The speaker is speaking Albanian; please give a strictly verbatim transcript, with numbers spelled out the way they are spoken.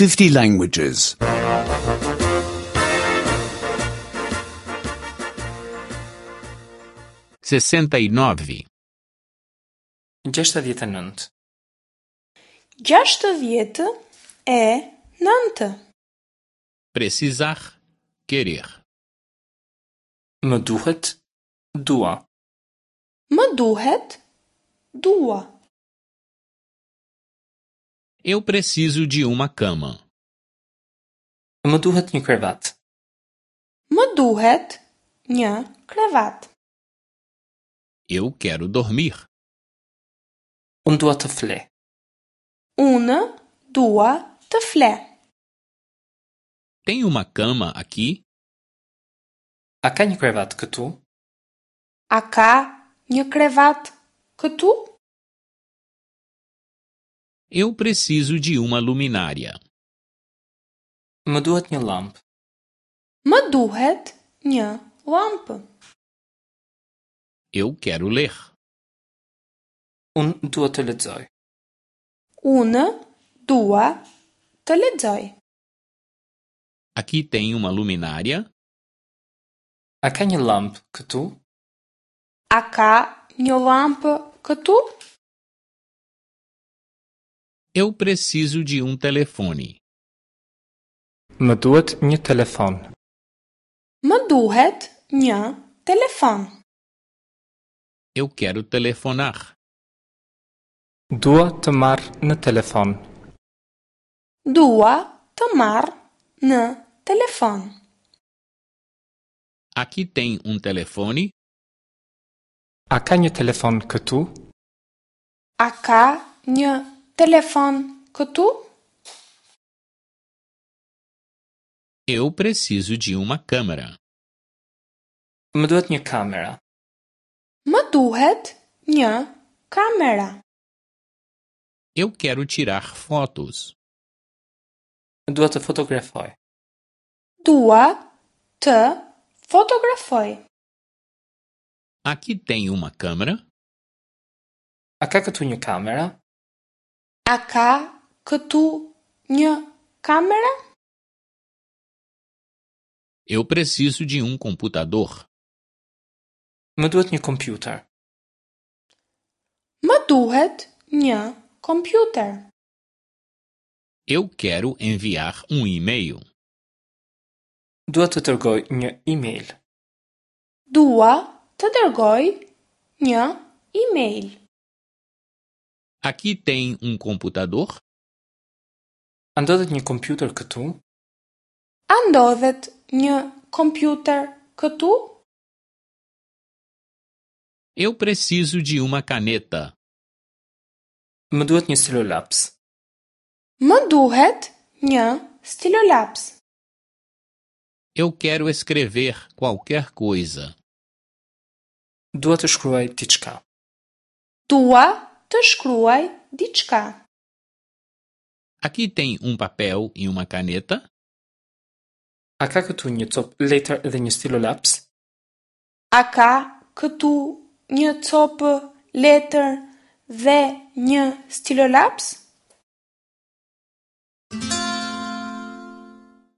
fifty languages. sessenta e nove, Gjashtëdhjetë e nëntë. Gjashtëdhjetë e nëntë. Precisar, querer. Më duhet, dua. Më duhet, dua. Eu preciso de uma cama. Më duhet një krevat. Më duhet një krevat. Eu quero dormir. Unë dua të fle. Unë dua të fle. Tem uma cama aqui? A ka një krevat këtu? A ka një krevat këtu? Eu preciso de uma luminária. Më duhet një llampë. Më duhet një llampë. Eu quero ler. Unë dua të lexoj. Unë dua të lexoj. Aqui tem uma luminária? A ka një llampë këtu? A ka një llampë këtu? Eu preciso de um telefone. Më duhet një telefon. Më duhet një telefon. Eu quero telefonar. Dua të marr në telefon. Dua të marr në telefon. Aqui tem um telefone? A ka një telefon këtu? A ka një telefon këtu? Eu preciso de uma câmera. Më duhet një kamera. Më duhet një kamera. Eu quero tirar fotos. Dua të fotografoj. Dua të fotografoj. Aqui tem uma câmera? A ka këtu një kamera? A ka këtu një kamera? Eu preciso de um computador. Më duhet një kompjuter. Më duhet një kompjuter. Eu quero enviar um e-mail. Dua të dërgoj një email. Dua të dërgoj një email. Aqui tem um computador? A ndodhet një kompjuter këtu? A ndodhet një kompjuter këtu? Eu preciso de uma caneta. Më duhet një stilolaps. Më duhet një stilolaps. Eu quero escrever qualquer coisa. Dua të shkruaj diçka. Dua të shkruaj diçka. Aqui tem um papel e uma caneta? A ka këtu një copë letër dhe një stilolaps? A ka këtu një copë letër dhe një stilolaps?